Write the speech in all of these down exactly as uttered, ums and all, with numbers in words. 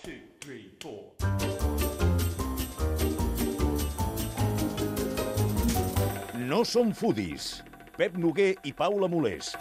two, three, four. No som foodies. Pep Noguer i Paula Molés.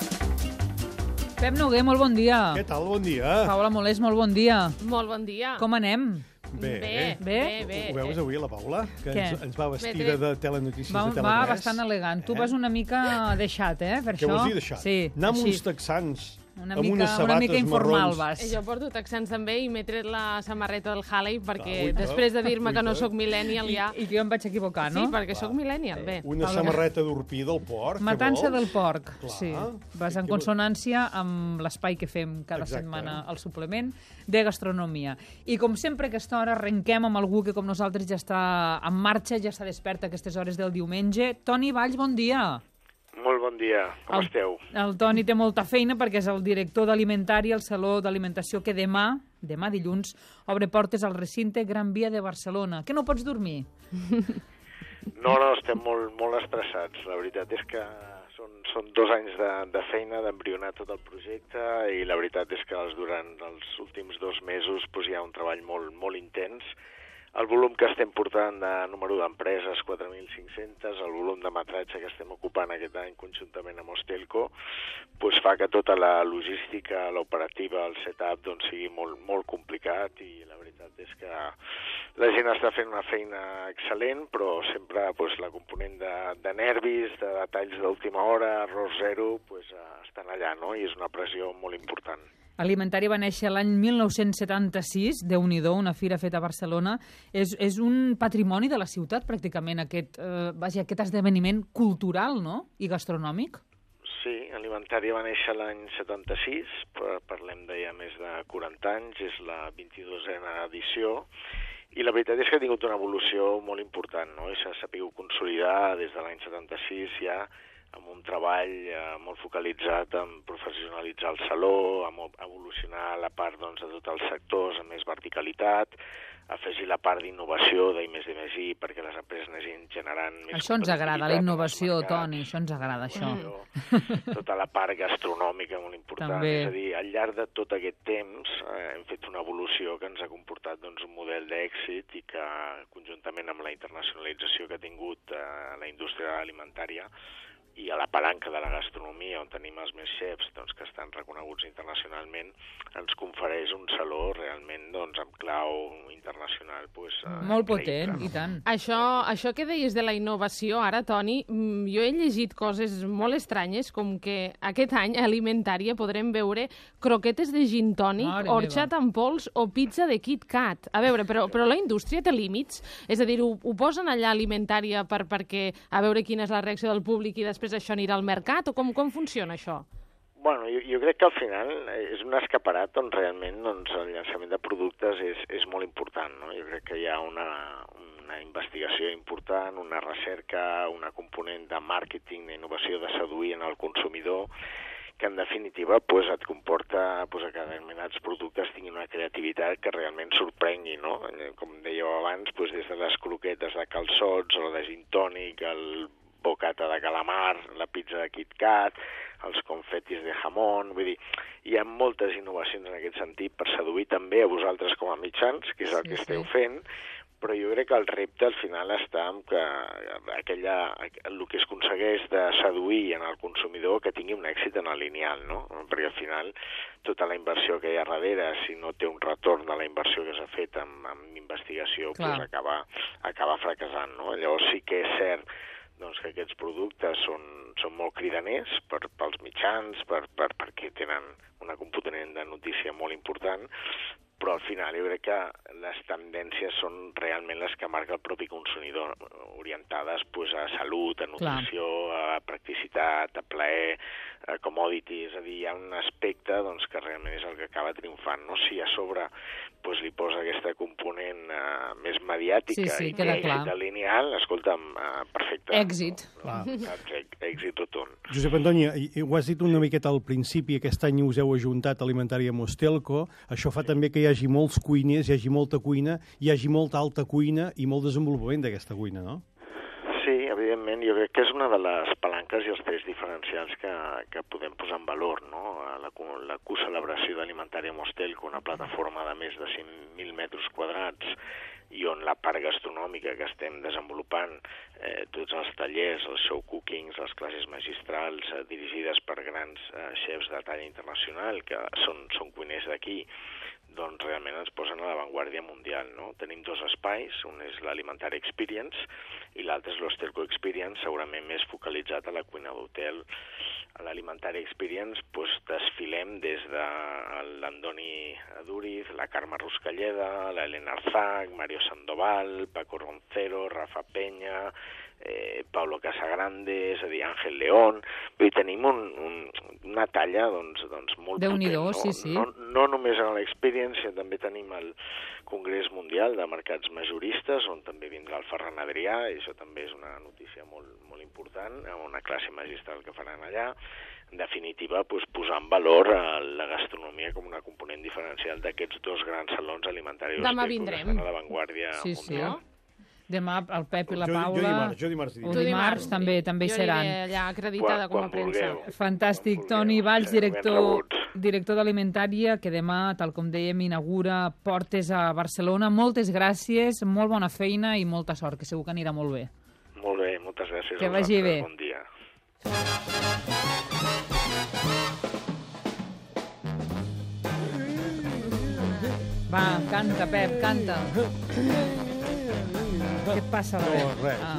Pep Noguer, molt bon dia. Què tal? Bon dia. Paula Molés, molt bon dia. Molt bon dia. Com anem? Bé. Bé, Bé? bé, bé. Ho veus avui, la Paula? Que Què? ens, ens va vestida Bé, de telenotícies Va, de Tele va tres. bastant elegant. Tu Eh? vas una mica deixat, eh, per Què això. vols dir d'això? Sí, Anar amb així. uns texans, Una amb mica, unes una sabates mica informal marrons. vas. Jo porto texans també i m'he tret la samarreta del Halley perquè Clar, després de dir-me que no uita. sóc millennial ja... I, I que jo em vaig equivocar, no? Sí, perquè sóc millennial, bé. Una Paula. samarreta d'orpí del porc, Matança què vols? del porc, Clar. sí. Vas Sí, en què consonància amb l'espai que fem cada Exacte. setmana al suplement de gastronomia. I com sempre a aquesta hora arrenquem amb algú que com nosaltres ja està en marxa, ja està despert a aquestes hores del diumenge. Toni Valls, bon dia. Molt bon dia, com el, esteu? El Toni té molta feina perquè és el director d'Alimentari al Saló d'Alimentació que demà, demà dilluns, obre portes al recinte Gran Via de Barcelona. Que no pots dormir? No, no, estem molt, molt estressats. La veritat és que són, són dos anys de, de feina, d'embrionar tot el projecte, i la veritat és que durant els últims dos mesos doncs, hi ha un treball molt, molt intens. El volum que estem portant de número d'empreses, quatre mil cinc-centes, el volum de metratge que estem ocupant aquest any conjuntament amb Ostelco, doncs fa que tota la logística, l'operativa, el setup, doncs sigui molt, molt complicat, i la veritat és que la gent està fent una feina excel·lent, però sempre doncs, la component de, de nervis, de detalls d'última hora, error zero, doncs, estan allà, no? I és una pressió molt important. Alimentari va néixer l'any mil nou-cents setanta-sis, Déu-n'hi-do, una fira feta a Barcelona. És, és un patrimoni de la ciutat, pràcticament, aquest, eh, vaja, aquest esdeveniment cultural, no?, i gastronòmic. Sí, Alimentari va néixer l'any setanta-sis, parlem de ja més de quaranta anys, és la vint-i-dosena edició, i la veritat és que ha tingut una evolució molt important, no? I s'ha sabut consolidar des de l'any setanta-sis ja, amb un treball eh, molt focalitzat en professionalitzar el saló, en evolucionar la part doncs, de tots els sectors amb més verticalitat, afegir la part d'innovació d'I més D més I perquè les empreses anessin generant més Això ens agrada, la innovació, Toni, això ens agrada, això. Tota la part gastronòmica molt important. També. És a dir, al llarg de tot aquest temps eh, hem fet una evolució que ens ha comportat doncs, un model d'èxit, i que conjuntament amb la internacionalització que ha tingut eh, la indústria alimentària i a la palanca de la gastronomia, on tenim els més xefs doncs, que estan reconeguts internacionalment, ens confereix un saló realment doncs, amb clau internacional. Doncs, eh, Molt increïble. potent, i tant. Això, això que deies de la innovació, ara, Toni, mm, jo he llegit coses molt estranyes, com que aquest any a Alimentària podrem veure croquetes de gin tònic, Mare orxat amb pols o pizza de Kit Kat. A veure, però, però la indústria té límits? És a dir, ho, ho posen allà a Alimentària per, perquè a veure quina és la reacció del públic i després això anirà al mercat, o com, com funciona això? Bueno, jo, jo crec que al final és un escaparat on realment doncs, el llançament de productes és, és molt important, no? Jo crec que hi ha una, una investigació important, una recerca, una component de màrqueting, d'innovació, de seduir en el consumidor, que en definitiva pues, et comporta pues, que determinats productes tinguin una creativitat que realment sorprengui, no? Com dèieu abans, pues, des de les croquetes de calçots, o de gin tònic, el bocata de calamar, la pizza de Kit Kat, els confetis de jamón, vull dir, hi ha moltes innovacions en aquest sentit per seduir també a vosaltres com a mitjans, que és el Sí, que esteu sí. fent, però jo crec que el repte al final està en que aquella, el que es aconsegueix de seduir en el consumidor que tingui un èxit en el lineal, no? Perquè al final tota la inversió que hi ha darrere, si no té un retorn de la inversió que s'ha fet amb, amb investigació, Clar. pues acaba, acaba fracassant, no? Llavors sí que és cert doncs, que aquests productes són, són molt cridaners per, pels mitjans, per, per, perquè tenen una component de notícia molt important, però al final jo crec que les tendències són realment les que marca el propi consumidor, orientades pues, a salut, a nutrició, Clar. a practicitat, a plaer, a commodity, és a dir, hi ha un aspecte doncs, que realment és el que acaba triomfant, no? Si a sobre pues, li posa aquesta component uh, més mediàtica Sí, sí, i queda que clar. èxit lineal, escolta'm, uh, perfecte. Èxit. No? Èxit, èxit rotund. Josep Antoni, ho has dit una miqueta al principi, aquest any us heu ajuntat Alimentària amb Ostelco, això fa també que hi hagi molts cuiners, hi hagi molta cuina, hi hagi molta alta cuina i molt desenvolupament d'aquesta cuina, no? Sí, evidentment. efectivament, jo crec que és una de les palanques i els trets diferencials que, que podem posar en valor, no? La, la co-celebració d'Alimentària Mostelco, una plataforma de més de cinc mil metres quadrats, i on la part gastronòmica que estem desenvolupant, eh, tots els tallers, els show cookings, les classes magistrals eh, dirigides per grans eh, xefs de talla internacional, que són, són cuiners d'aquí, doncs realment ens posen a l'avantguàrdia mundial, no? Tenim dos espais, un és l'Alimentària Experience i l'altre és l'Hostelco Experience, segurament més focalitzat a la cuina d'hotel. A l'Alimentària Experience doncs, desfilem des de l'Andoni Aduriz, la Carme Ruscalleda, l'Helena Arzac, Mario Sandoval, Paco Roncero, Rafa Peña, eh, Pablo Casagrande, és a dir, Ángel León. Vull dir, tenim un, un, una talla doncs, doncs molt Déu-n'hi-do, potent. No? sí, sí. No, no només a l'Experience, també tenim el Congrés Mundial de Mercats Majoristes, on també vindrà el Ferran Adrià, i això també és una notícia molt, molt important, amb una classe magistral que faran allà. En definitiva, doncs, posar en valor la gastronomia com una component diferencial d'aquests dos grans salons alimentaris Demà que vindrem. estan a l'avantguàrdia Sí, sí. mundial. Demà el Pep i la Jo- jo Paula... dimarts, jo dimarts diré. O Tu dimarts també també hi jo seran. aniré allà acreditada Quan- com a quan premsa. vulgueu. Fantàstic. Quan Toni vulgueu, Valls, sereu ben director, rebuts. director d'Alimentària, que demà, tal com dèiem, inaugura portes a Barcelona. Moltes gràcies, molt bona feina i molta sort, que segur que anirà molt bé. Molt bé, moltes gràcies. Que a vagi vosaltres. bé. Bon dia. Va, canta, Pep, canta. Què et passa? No, res. Ah.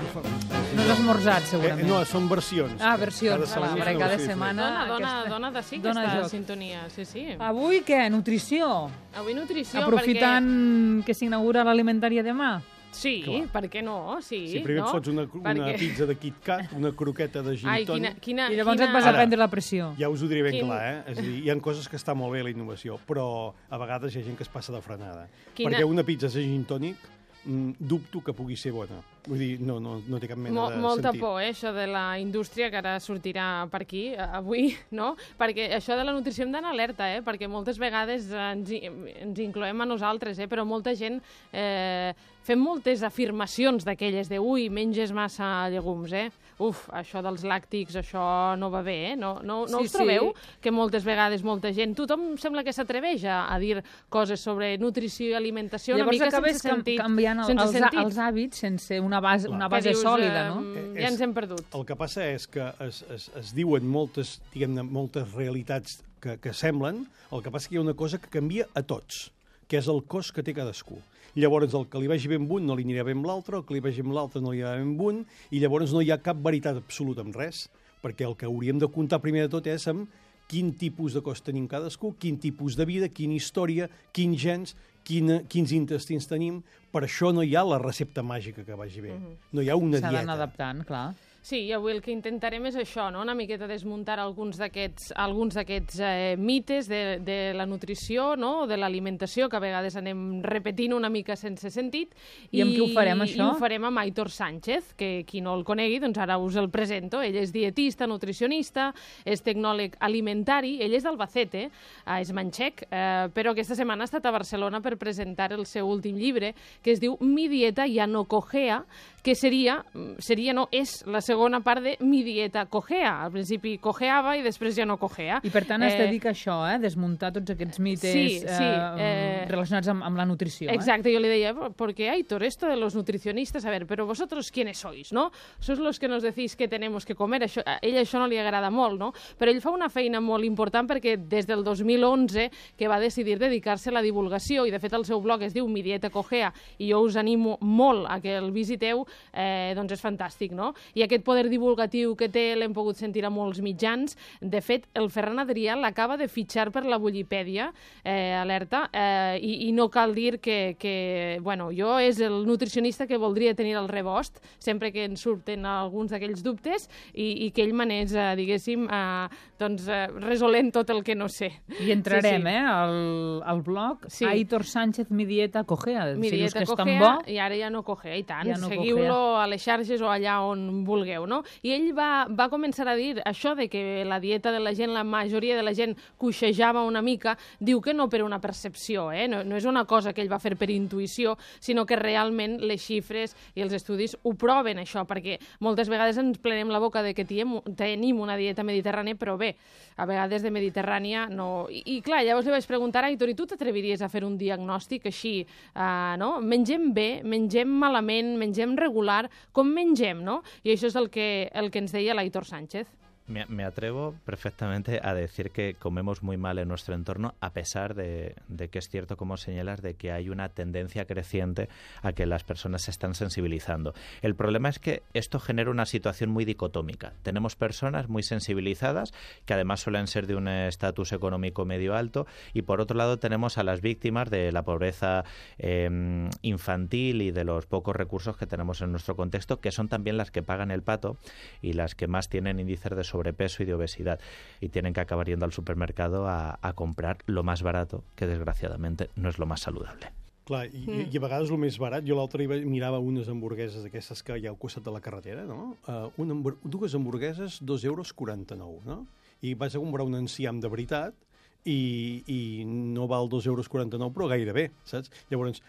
No has esmorzat, Eh, segurament. no, són versions. Ah, versions. Cada setmana Cada, és una cada versió setmana... Dona, dona, aquesta- dona de sí que dona està joc. en sintonia, sí, sí. Avui què? Nutrició. Avui nutrició, Aprofitant que s'inaugura l'alimentària demà. perquè... Sí, Clar. per què no? Sí, Si primer no? et fots una, una Perquè- pizza de Kit Kat, una croqueta de gin Ai, tònic... quina, quina, I llavors quina... et vas a Ara. prendre la pressió. Ja us ho diré ben Quin- clar, eh? És a dir, hi ha coses que està molt bé la innovació, però a vegades hi ha gent que es passa de frenada. Quina- Perquè una pizza de gin tònic mm, dubto que pugui ser bona. Vull dir, no, no, no té cap mena Mo de molta sentit. por, eh, això de la indústria, que ara sortirà per aquí, eh, avui, no? Perquè això de la nutrició hem d'anar alerta, eh? Perquè moltes vegades ens, hi- ens incloem a nosaltres, eh? Però molta gent eh, fem moltes afirmacions d'aquelles de ui, menges massa llegums, eh? Uf, això dels làctics, això no va bé, eh? No, no, no Sí, us trobeu sí. que moltes vegades molta gent, tothom sembla que s'atreveix a, a dir coses sobre nutrició i alimentació Llavors una mica acabes sense sentit. canviant el, sense els, sentit. els hàbits sense una base, una Que base dius, sòlida, eh, no? Eh, Ja és- ens hem perdut. El que passa és que es, es, es diuen moltes, diguem-ne, moltes realitats que, que semblen, el que passa que hi ha una cosa que canvia a tots, que és el cos que té cadascú. Llavors, el que li vagi bé amb un no li anirà bé amb l'altre, el que li vagi amb l'altre no li anirà bé amb un, i llavors no hi ha cap veritat absoluta amb res, perquè el que hauríem de comptar primer de tot és amb quin tipus de cos tenim cadascú, quin tipus de vida, quina història, quins gens, quina, quins intestins tenim. Per això no hi ha la recepta màgica que vagi bé. No hi ha una S'ha dieta. d'anar adaptant, clar. Sí, i avui el que intentarem és això, no? Una miqueta desmuntar alguns d'aquests alguns d'aquests eh, mites de, de la nutrició, no? De l'alimentació, que a vegades anem repetint una mica sense sentit. I amb qui ho farem, això? I ho farem amb Aitor Sánchez, que qui no el conegui, doncs ara us el presento. Ell és dietista, nutricionista, és tecnòleg alimentari, ell és d'Albacete, eh, és manxec, eh, però aquesta setmana ha estat a Barcelona per presentar el seu últim llibre, que es diu Mi dieta ya no cojea, que seria, seria no, és la segona part de Mi dieta cojea. Al principi cojeava i després ja no cojea. I per tant es dedica a això, eh? Desmuntar tots aquests mites Sí, sí, eh, eh, relacionats amb, amb la nutrició. Exacto, yo le decía, porque Aitor, esto de los nutricionistas, a ver, pero vosotros quiénes sois, no? Sois los que nos decís que tenemos que comer, això, a ell això no li agrada molt, no? Però ell fa una feina molt important perquè des del dos mil onze que va decidir dedicar-se a la divulgació, i de fet el seu blog es diu Mi dieta cojea, i jo us animo molt a que el visiteu, eh, doncs és fantàstic, no? I aquest poder divulgatiu que té l'hem pogut sentir a molts mitjans. De fet, el Ferran Adrià l'acaba de fitxar per la Bullipèdia, eh, alerta, eh, i, i no cal dir que, que, bueno, jo és el nutricionista que voldria tenir al rebost, sempre que ens surten alguns d'aquells dubtes, i, i que ell m'anés, eh, diguéssim, eh, doncs, eh, resolent tot el que no sé. I entrarem, Sí, sí. eh, al, al blog Sí. Aitor Sánchez Mi dieta cojea. Mi Si dius dieta que és tan cojea, bo, i ara ja no cojea, i tant. Ja no Seguiu Busqueu-lo a les xarxes o allà on vulgueu, no? I ell va, va començar a dir això de que la dieta de la gent, la majoria de la gent coixejava una mica, diu que no per una percepció, eh? no, no és una cosa que ell va fer per intuïció, sinó que realment les xifres i els estudis ho proven, això, perquè moltes vegades ens plenem la boca de que tiem, tenim una dieta mediterrània, però bé, a vegades de mediterrània no... I, i clar, llavors li vaig preguntar a Aitor, i tu t'atreviries a fer un diagnòstic així, uh, no? Mengem bé, mengem malament, mengem regular, com mengem, no? I això és el que, el que ens deia l'Aitor Sánchez. Me, me atrevo perfectamente a decir que comemos muy mal en nuestro entorno, a pesar de, de que es cierto, como señalas, de que hay una tendencia creciente a que las personas se están sensibilizando. El problema es que esto genera una situación muy dicotómica. Tenemos personas muy sensibilizadas, que además suelen ser de un estatus económico medio alto, y por otro lado tenemos a las víctimas de la pobreza eh, infantil y de los pocos recursos que tenemos en nuestro contexto, que son también las que pagan el pato y las que más tienen índices de sobrepeso y de obesidad, y tienen que acabar yendo al supermercado a, a comprar lo más barato, que desgraciadamente no és lo más saludable. Clar, i, mm. i a vegades el més barat, jo l'altre dia mirava unes hamburgueses d'aquestes que hi ha al costat de la carretera, no? Uh, una, dues hamburgueses, dos euros quaranta-nou, no? I vas a comprar un enciam de veritat i, i no val dos euros quaranta-nou, però gairebé, saps? Llavors,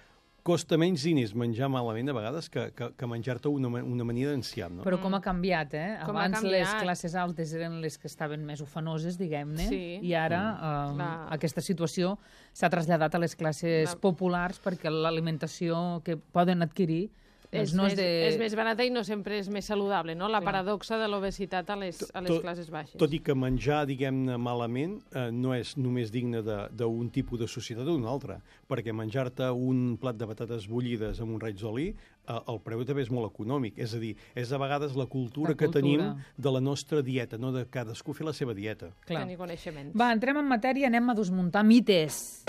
costa menys diners menjar malament a vegades que, que, que menjar-te una, una amanida d'enciam, no? Però com ha canviat, eh? Com Abans canviat. les classes altes eren les que estaven més ufanoses, diguem-ne, Sí. i ara Mm. eh, aquesta situació s'ha traslladat a les classes La- populars perquè l'alimentació que poden adquirir És, doncs no més, és de... és més barata i no sempre és més saludable, no? La Clar. paradoxa de l'obesitat a les, a les Tot- classes baixes. Tot i que menjar, diguem-ne, malament eh, no és només digne de- d'un tipus de societat o d'un altre, perquè menjar-te un plat de patates bullides amb un raig d'oli, eh, el preu també és molt econòmic. És a dir, és a vegades la cultura, La que cultura. tenim de la nostra dieta, no de cadascú fer la seva dieta. Clar. Tenir coneixements. Va, entrem en matèria, anem a desmuntar mites.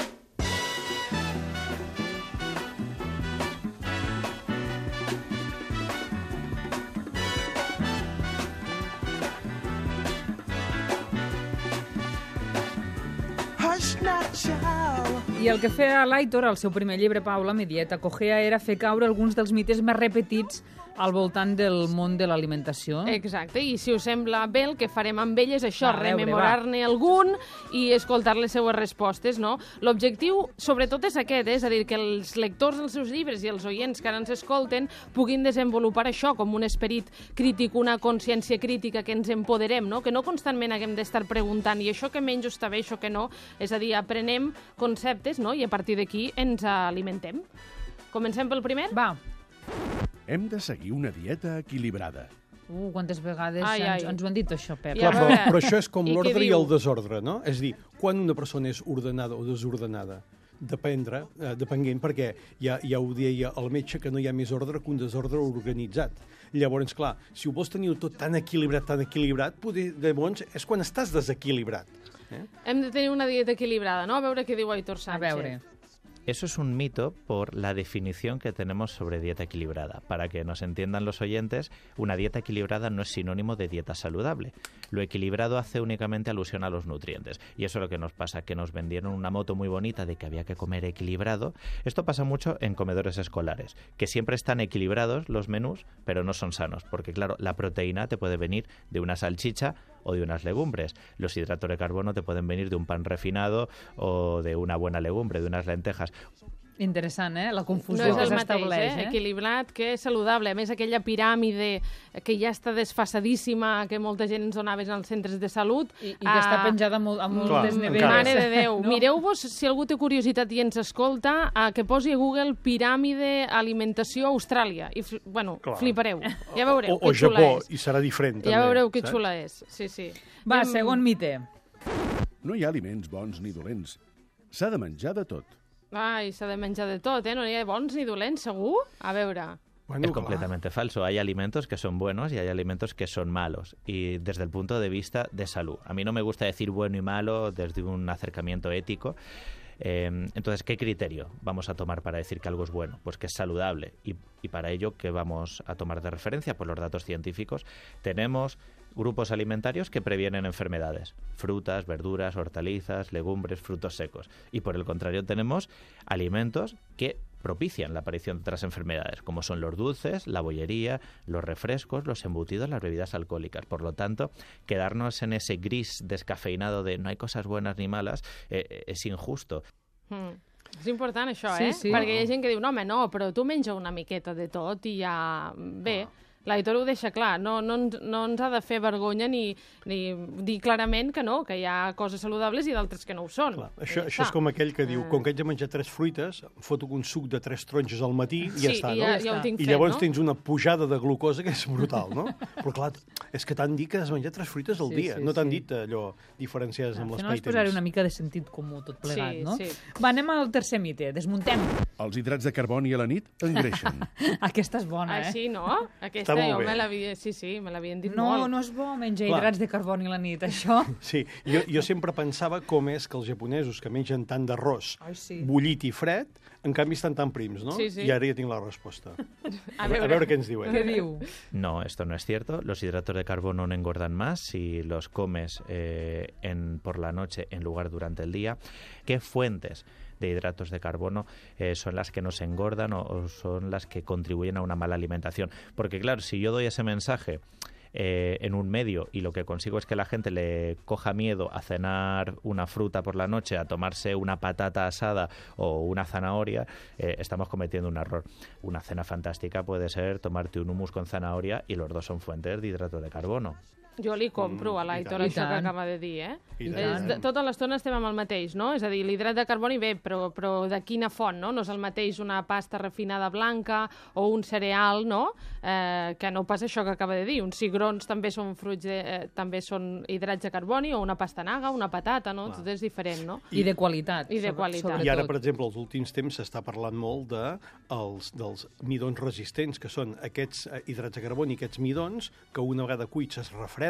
I el que feia l'Aitor, al seu primer llibre, Paula, Mi dieta cogea, era fer caure alguns dels mites més repetits al voltant del món de l'alimentació. Exacte, i si us sembla bé, el que farem amb ell és això, Va, a veure, rememorar-ne algun i escoltar les seues respostes, no? L'objectiu, sobretot, és aquest, eh? És a dir, que els lectors dels seus llibres i els oients que ara ens escolten puguin desenvolupar això com un esperit crític, una consciència crítica, que ens empoderem, no? Que no constantment haguem d'estar preguntant i això que menjo està bé, això que no. És a dir, aprenem conceptes, no? I a partir d'aquí ens alimentem. Comencem pel primer? Va, Hem de seguir una dieta equilibrada. uh, quantes vegades Ai, ens, ai. ens ho han dit, això, Pep. I Clar, a però, veure, però això és com i què l'ordre i diu? el desordre, no? És a dir, quan una persona és ordenada o desordenada, dependre, eh, depenent, perquè ja, ja ho deia el metge, que no hi ha més ordre que un desordre organitzat. Llavors, clar, si ho vols tenir tot tan equilibrat, tan equilibrat, poder, llavors és quan estàs desequilibrat. Eh? Hem de tenir una dieta equilibrada, no? A veure què diu Aitor A Sánchez. veure. Eso es un mito por la definición que tenemos sobre dieta equilibrada. Para que nos entiendan los oyentes, una dieta equilibrada no es sinónimo de dieta saludable. Lo equilibrado hace únicamente alusión a los nutrientes. Y eso es lo que nos pasa, que nos vendieron una moto muy bonita de que había que comer equilibrado. Esto pasa mucho en comedores escolares, que siempre están equilibrados los menús, pero no son sanos. Porque claro, la proteína te puede venir de una salchicha o de unas legumbres. Los hidratos de carbono te pueden venir de un pan refinado o de una buena legumbre, de unas lentejas. Interessant, eh? La No confusió és que el mateix, s'estableix, eh? eh? Equilibrat que saludable. A més, aquella piràmide que ja està desfasadíssima, que molta gent ens donava als centres de salut. I, i que està ah, penjada molt, a moltes Clar, neveres. encara. Mare de Déu. No? Mireu-vos, si algú té curiositat i ens escolta, a que posi a Google piràmide alimentació Austràlia. I, fl- bueno, Clar. flipareu. Ja veureu O, o que xula Japó, és. i serà diferent, també. Ja veureu que saps? xula és. Sí, sí. Va, Anem- segon mite. No hi ha aliments bons ni dolents. S'ha de menjar de tot. Ai, s'ha de menjar de tot, eh? No hi ha bons ni dolents, segur? A veure... Bueno, Es clar. completamente falso. Hay alimentos que son buenos y hay alimentos que son malos. Y desde el punto de vista de salud. A mí no me gusta decir bueno y malo desde un acercamiento ético. Eh, entonces, ¿qué criterio vamos a tomar para decir que algo es bueno? Pues que es saludable. Y, y para ello, ¿qué vamos a tomar de referencia? Pues los datos científicos. Tenemos grupos alimentarios que previenen enfermedades. Frutas, verduras, hortalizas, legumbres, frutos secos. Y por el contrario, tenemos alimentos que propician la aparición de otras enfermedades, como son los dulces, la bollería, los refrescos, los embutidos, las bebidas alcohólicas. Por lo tanto, quedarnos en ese gris descafeinado de no hay cosas buenas ni malas eh, és injusto. Mm. És important això, sí, eh? Sí. Perquè hi ha gent que diu, no, home, no, però tu menja una miqueta de tot i ja... Bé, oh. L'Aitor ho deixa clar, no, no, ens, no ens ha de fer vergonya ni, ni dir clarament que no, que hi ha coses saludables i d'altres que no ho són. Clar, això, això és com aquell que diu, com que haig de menjar tres fruites, em foto un suc de tres taronges al matí i ja sí, està, i no? ja, ja ho tinc I fet, llavors no? tens una pujada de glucosa que és brutal, no? Però clar, és que t'han dit que has de menjar tres fruites al Sí, dia, sí, no t'han sí. dit allò diferenciades amb Al final l'espai és posar-hi temps. una mica de sentit comú tot plegat, Sí, no? sí. Va, anem al tercer mite, desmuntem. Els hidrats de carboni a la nit engreixen. Aquesta és bona, eh? Així, no? Aquesta Està molt jo bé. me l'havia... Sí, sí, me l'havien dit No, molt. no és bo menjar Clar. hidrats de carboni a la nit, això. Sí, jo, jo sempre pensava com és que els japonesos que mengen tant d'arròs Ai, sí. bullit i fred, en canvi estan tan prims, no? Sí, sí. I ara ja tinc la resposta. A A, veure, a veure què ens diuen. Què diu? No, esto no es cierto. Los hidratos de carbono no engordan más si los comes eh, en, por la noche en lugar durante el día. ¿Qué fuentes de hidratos de carbono eh, son las que nos engordan o, o son las que contribuyen a una mala alimentación? Porque claro, si yo doy ese mensaje eh, en un medio y lo que consigo es que la gente le coja miedo a cenar una fruta por la noche, a tomarse una patata asada o una zanahoria, eh, estamos cometiendo un error. Una cena fantástica puede ser tomarte un hummus con zanahoria y los dos son fuentes de hidrato de carbono. Jo li compro Mm, a i l'Aitor tant. això I que tant. acaba de dir, eh? I És, tant. de, tota l'estona estem amb el mateix, no? És a dir, l'hidrat de carboni, bé, però, però de quina font, no? No és el mateix una pasta refinada blanca o un cereal, no? Eh, que no pas això que acaba de dir. Uns cigrons també són fruits de, eh, també són hidrats de carboni, o una pastanaga, una patata, no? Clar. Tot és diferent, no? I de qualitat. I de sobre- qualitat. sobretot. I ara, per exemple, als últims temps s'està parlant molt de els, dels midons resistents, que són aquests eh, hidrats de carboni, aquests midons, que una vegada cuits es refreden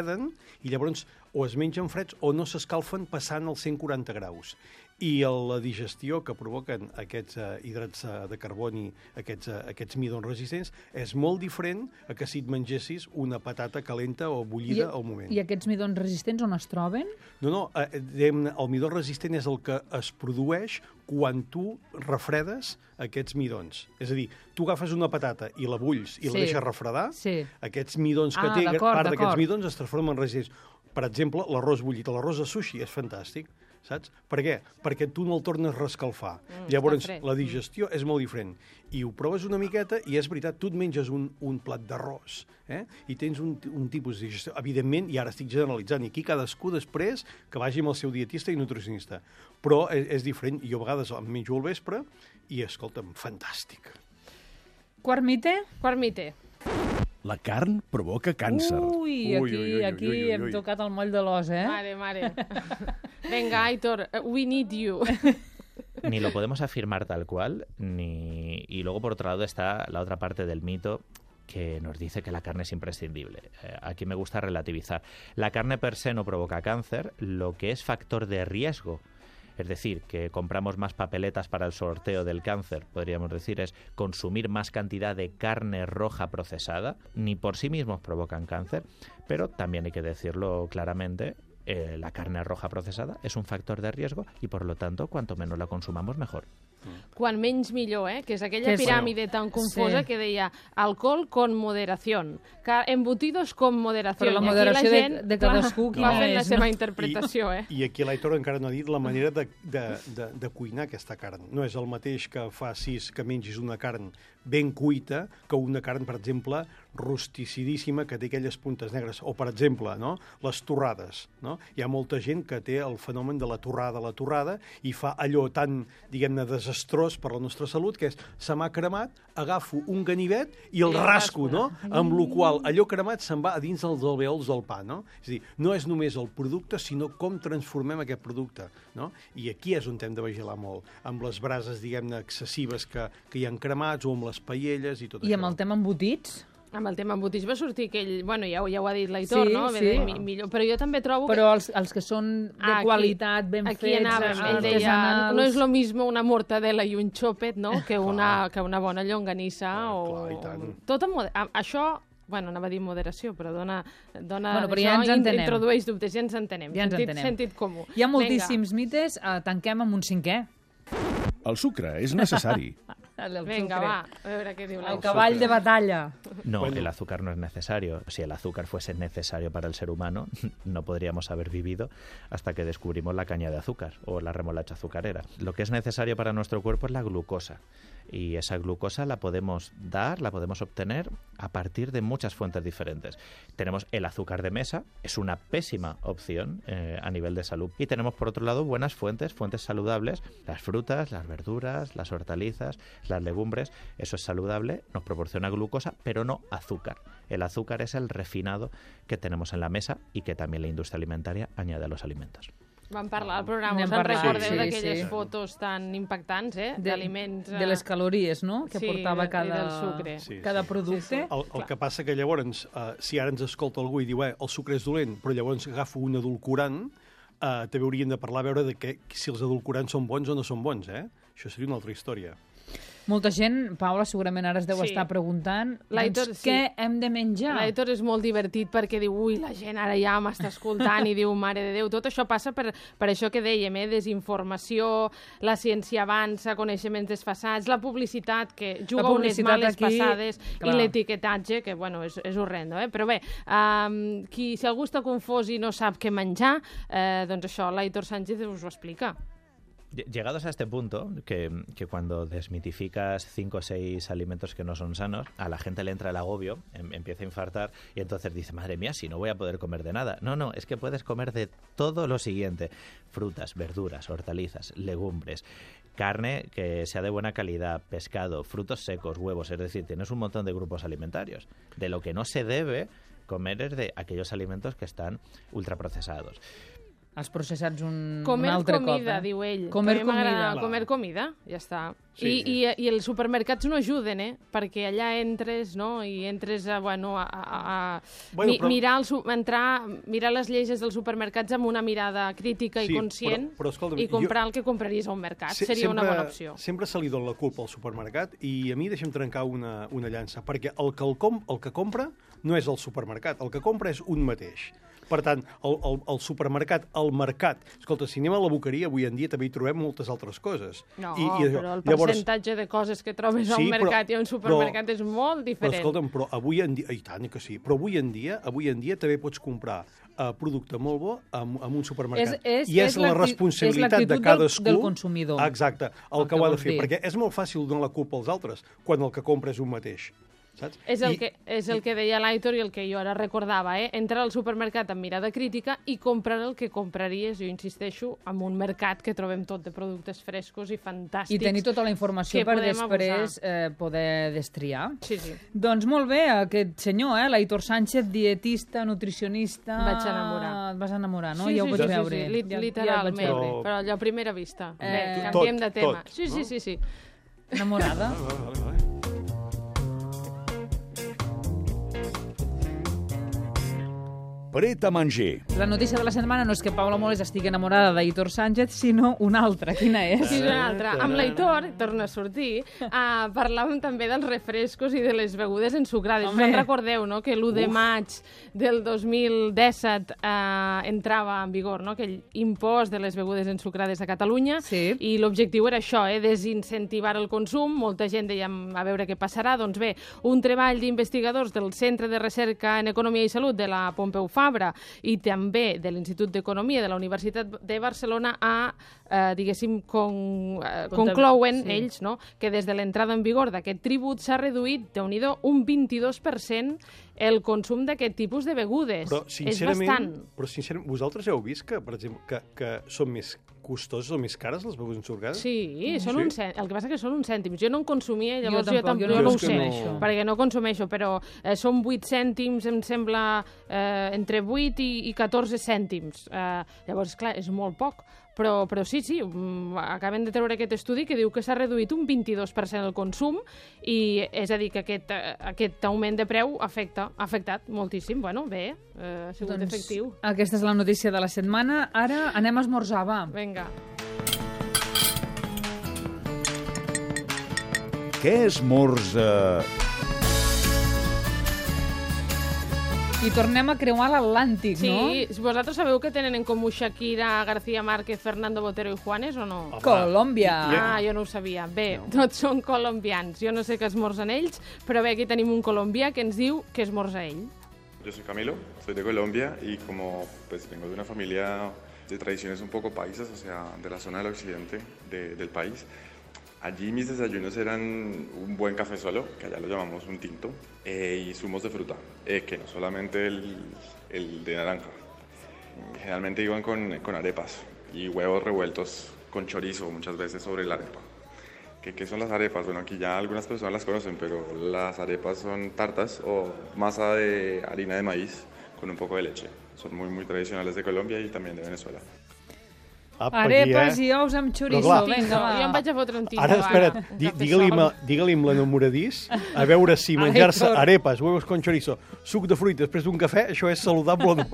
i llavors o es mengen freds o no s'escalfen passant els cent quaranta graus. I el- la digestió que provoquen aquests eh, hidrats eh, de carboni, aquests, eh, aquests midons resistents, és molt diferent a que si et mengessis una patata calenta o bullida I, al moment. I aquests midons resistents on es troben? No, no, eh, diguem-ne, el midó resistent és el que es produeix quan tu refredes aquests midons. És a dir, tu agafes una patata i la bulls i Sí. la deixes refredar, Sí. aquests midons que Ah, té, d'acord, part d'aquests d'acord. midons es transformen en resistents. Per exemple, l'arròs bullit, l'arròs de sushi és fantàstic, saps? Per què? Perquè tu no el tornes a rescalfar. Mm, Llavors, està fred. la digestió és molt diferent. I ho proves una miqueta i és veritat, tu et menges un, un plat d'arròs eh? i tens un, un tipus de digestió. Evidentment, i ara estic generalitzant, i aquí cadascú després que vagi amb el seu dietista i nutricionista. Però és, és diferent. Jo a vegades em menjo al vespre i, escolta'm, fantàstic. Quart mite? Quart mite. La carn provoca càncer. Ui, Ui, aquí, ui, ui, ui, aquí ui, ui. hem tocat el moll de l'os, eh? Mare, mare. Venga, Aitor, we need you. Ni lo podemos afirmar tal cual, ni y luego por otro lado está la otra parte del mito que nos dice que la carne es imprescindible. Eh, aquí me gusta relativizar. La carne per se no provoca cáncer, lo que es factor de riesgo, es decir, que compramos más papeletas para el sorteo del cáncer, podríamos decir, es consumir más cantidad de carne roja procesada, ni por sí mismos provocan cáncer, pero también hay que decirlo claramente, eh, la carne roja procesada es un factor de riesgo y por lo tanto, cuanto menos la consumamos, mejor. Quan menys millor, eh? Que és aquella Que és- piràmide tan confosa Sí. que deia alcohol con moderación, ca- embutidos con moderación. Però la I aquí moderació de- gent, de cadascú, clar, va quina fent la és, seva no? interpretació, eh? I, I aquí l'Aitor encara no ha dit la manera de, de, de, de cuinar aquesta carn. No és el mateix que facis que mengis una carn ben cuita que una carn, per exemple, rusticidíssima, que té aquelles puntes negres. O, per exemple, no? les torrades. No? Hi ha molta gent que té el fenomen de la torrada a la torrada i fa allò tan, diguem-ne, desastrós per la nostra salut, que és, se m'ha cremat, agafo un ganivet i el I el rasco, rasco. no? Amb la qual allò cremat se'n va a dins dels alveols del pa, no? És a dir, no és només el producte, sinó com transformem aquest producte, no? I aquí és on hem de vigilar molt, amb les brases, diguem-ne, excessives que, que hi ha cremats, o amb les paelles i tot I això. amb el tema embotits? Amb el tema embotits va sortir aquell... Bueno, ja, ho- ja ho ha dit l'Aitor, Sí, no? sí. Bé, mi, millor, però jo també trobo que... Però els, els que són de Ah, aquí- qualitat, ben Aquí fets, anava, ell deia, artesanals... no és lo mismo una mortadela i un xòpet, no?, que una, Clar. que una bona llonganissa Clar, o... clar, i tant. Tot amb moder... a- Això, bueno, anava a dir moderació, però dona... dona Bueno, però ja ens això entenem. introdueix dubtes, ja ens entenem. Ja ens sentit, entenem. sentit comú. Hi ha moltíssims mites, eh, tanquem amb un cinquè. El sucre és necessari. El Venga, sucre. va, a veure què diu la El cavall de batalla. No, Bueno. el azúcar no es necesario. Si el azúcar fuese necesario para el ser humano, no podríamos haber vivido hasta que descubrimos la caña de azúcar o la remolacha azucarera. Lo que es necesario para nuestro cuerpo es la glucosa. Y esa glucosa la podemos dar, la podemos obtener a partir de muchas fuentes diferentes. Tenemos el azúcar de mesa, es una pésima opción eh, a nivel de salud. Y tenemos, por otro lado, buenas fuentes, fuentes saludables, las frutas, las verduras, las hortalizas, las legumbres. Eso es saludable, nos proporciona glucosa, pero no azúcar. El azúcar es el refinado que tenemos en la mesa y que también la industria alimentaria añade a los alimentos. Vam parlar al programa, N'hem us en parlat, recordeu sí, d'aquelles sí. fotos tan impactants, eh? De- D'aliments... De les calories, no?, que sí, portava de- i cada, del sucre. Sí, cada sí. producte. Sí, sí. El, el que passa que llavors, uh, si ara ens escolta algú i diu eh, el sucre és dolent, però llavors agafo un edulcorant, uh, també hauríem de parlar a veure de que, si els edulcorants són bons o no són bons, eh? Això seria una altra història. Molta gent, Paula, segurament ara es deu Sí. estar preguntant L'Aitor, doncs, sí. què hem de menjar? L'Aitor és molt divertit perquè diu, ui, la gent ara ja m'està escoltant i diu, mare de Déu, tot això passa per, per això que dèiem, eh? Desinformació, la ciència avança, coneixements desfasats, la publicitat que juga La unes publicitat males aquí, passades clar. i l'etiquetatge, que bueno, és, és horrendo, eh? Però bé, um, qui, si algú està confós i no sap què menjar, eh, doncs això, l'Aitor Sánchez us ho explica. Llegados a este punto, que, que cuando desmitificas cinco o seis alimentos que no son sanos, a la gente le entra el agobio, em, empieza a infartar y entonces dice, madre mía, si no voy a poder comer de nada. No, no, es que puedes comer de todo lo siguiente. Frutas, verduras, hortalizas, legumbres, carne que sea de buena calidad, pescado, frutos secos, huevos. Es decir, tienes un montón de grupos alimentarios. De lo que no se debe comer es de aquellos alimentos que están ultraprocesados. Els processats un, Comer un altre comida, cop. Eh? diu ell. Comer Que a mi m'agrada comida. Comer comida, ja està. Sí, I, sí. I, I els supermercats no ajuden, eh? Perquè allà entres, no?, i entres a, bueno, a, a, a Bueno, mi, però- mirar, el, su- entrar, mirar les lleis dels supermercats amb una mirada crítica Sí, i conscient però- però escolta'm, i comprar jo- el que compraries a un mercat. Se- Seria una sempre- bona opció. Sempre se li dona la culpa al supermercat i a mi deixa'm trencar una, una llança, perquè el que, el, com, el que compra no és el supermercat, el que compra és un mateix. Per tant, el, el, el supermercat, el mercat... Escolta, si anem a la boqueria, avui en dia també hi trobem moltes altres coses. No, I, i això, però el llavors, percentatge de coses que trobes a Sí, un però- mercat i a un supermercat però- és molt Però diferent. escolta'm, però avui en dia... I tant que sí. Però avui en dia, avui en dia també pots comprar uh, producte molt bo amb, amb un supermercat. És- és- I és, és la l'acti- responsabilitat és l'actitud de del- cadascú... del consumidor. Exacte, el, El que que ho ha de vols fer. dir. Perquè és molt fàcil donar la culpa als altres quan el que compra és un mateix. Saps? És el, I- que, és el que deia l'Aitor i el que jo ara recordava, eh? Entrar al supermercat amb mirada crítica i comprar el que compraries, jo insisteixo, en un mercat que trobem tot de productes frescos i fantàstics. I tenir tota la informació que per podem després eh, poder destriar. Sí, sí. Doncs molt bé, aquest senyor, eh, l'Aitor Sánchez, dietista, nutricionista... Em vaig enamorar. Et vas enamorar, no? Sí, ja ho sí, vaig sí, veure. sí, sí, lit- Ja- literalment, Ja et vaig Però- veure. però allò a primera vista. Eh, Bé, tot, canviem de tema. tot, sí, sí, no? sí, sí. Enamorada. Vale, vale, vale. Pret a manger. La notícia de la setmana no és que Paula Moles estigui enamorada d'Aitor Sánchez, sinó una altra. Quina és? Sí, una altra. Amb l'Aitor, torna a sortir, uh, parlàvem també dels refrescos i de les begudes ensucrades. Home. Us en recordeu, no?, que l'u de maig del dos mil disset uh, entrava en vigor, no?, aquell impost de les begudes ensucrades a Catalunya, Sí. i l'objectiu era això, eh, desincentivar el consum. Molta gent deia a veure què passarà. Doncs bé, un treball d'investigadors del Centre de Recerca en Economia i Salut de la Pompeu Fabra i també de l'Institut d'Economia de la Universitat de Barcelona a, eh, diguéssim, con, eh, Contab- conclouen sí. ells, no?, que des de l'entrada en vigor d'aquest tribut s'ha reduït, déu-n'hi-do, un vint-i-dos per cent el consum d'aquest tipus de begudes. Però, És sincerament, bastant. però, sincerament, vosaltres heu vist que, per exemple, que, que són més costoses o més cares les begudes ensucrades? Sí, són Sí? un cèntim. El que passa que són uns cèntims. Jo no en consumia, llavors jo, tampoc, tampoc, jo jo no no ho és que sé, no- perquè no consumeixo, però eh, són vuit cèntims, em sembla, eh, entre vuit i, i catorze cèntims. Eh, llavors, clar, és molt poc. Però, però sí, sí, mm, acaben de treure aquest estudi que diu que s'ha reduït un vint-i-dos per cent el consum i és a dir que aquest, eh, aquest augment de preu afecta, ha afectat moltíssim. Bueno, bé, eh, ha sigut Doncs efectiu. aquesta és la notícia de la setmana. Ara anem a esmorzar, va. Vinga. Què esmorza? I tornem a creuar l'Atlàntic, Sí, no? sí, vosaltres sabeu que tenen en comú Shakira, García Márquez, Fernando Botero i Juanes o no? Home, Colòmbia. Ah, jo no ho sabia. Bé, tots són colombians. Jo no sé què esmorzen ells, però bé, aquí tenim un colombià que ens diu què esmorza ell. Yo soy Camilo, soy de Colombia y como pues vengo de una familia de tradiciones un poco paisas, o sea, de la zona del occidente de- del país, allí mis desayunos eran un buen café solo, que allá lo llamamos un tinto, eh, y zumos de fruta, eh, que no solamente el, el de naranja. Generalmente iban con, con arepas y huevos revueltos con chorizo muchas veces sobre la arepa. ¿Qué, ¿Qué son las arepas? Bueno, aquí ya algunas personas las conocen, pero las arepas son tartas o masa de harina de maíz con un poco de leche. Son muy, muy tradicionales de Colombia y también de Venezuela. Apa, Arepas aquí, eh? i ous amb chorizo. clar, Vinga, va. Jo em vaig a fotre un tinto, Ara, espera't, un di- cafè digue-li sol. ma- digue-li amb l'enamoradís a veure si menjar-se Aitor. arepas, huevos con chorizo, suc de fruita després d'un cafè, això és saludable o no?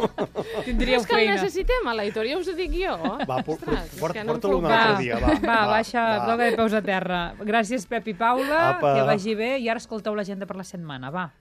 Tindríeu És que el feina. necessitem, a l'Aitor, ja us ho dic jo. Va, por- por- Ostres, és port- que no em porta-lo feu un cas. altre Va, dia, va. va, va, baixa, va. toca de peus a terra. Gràcies, Pep i Paula, Apa. que vagi bé, i ara escolteu l'agenda per la setmana, va.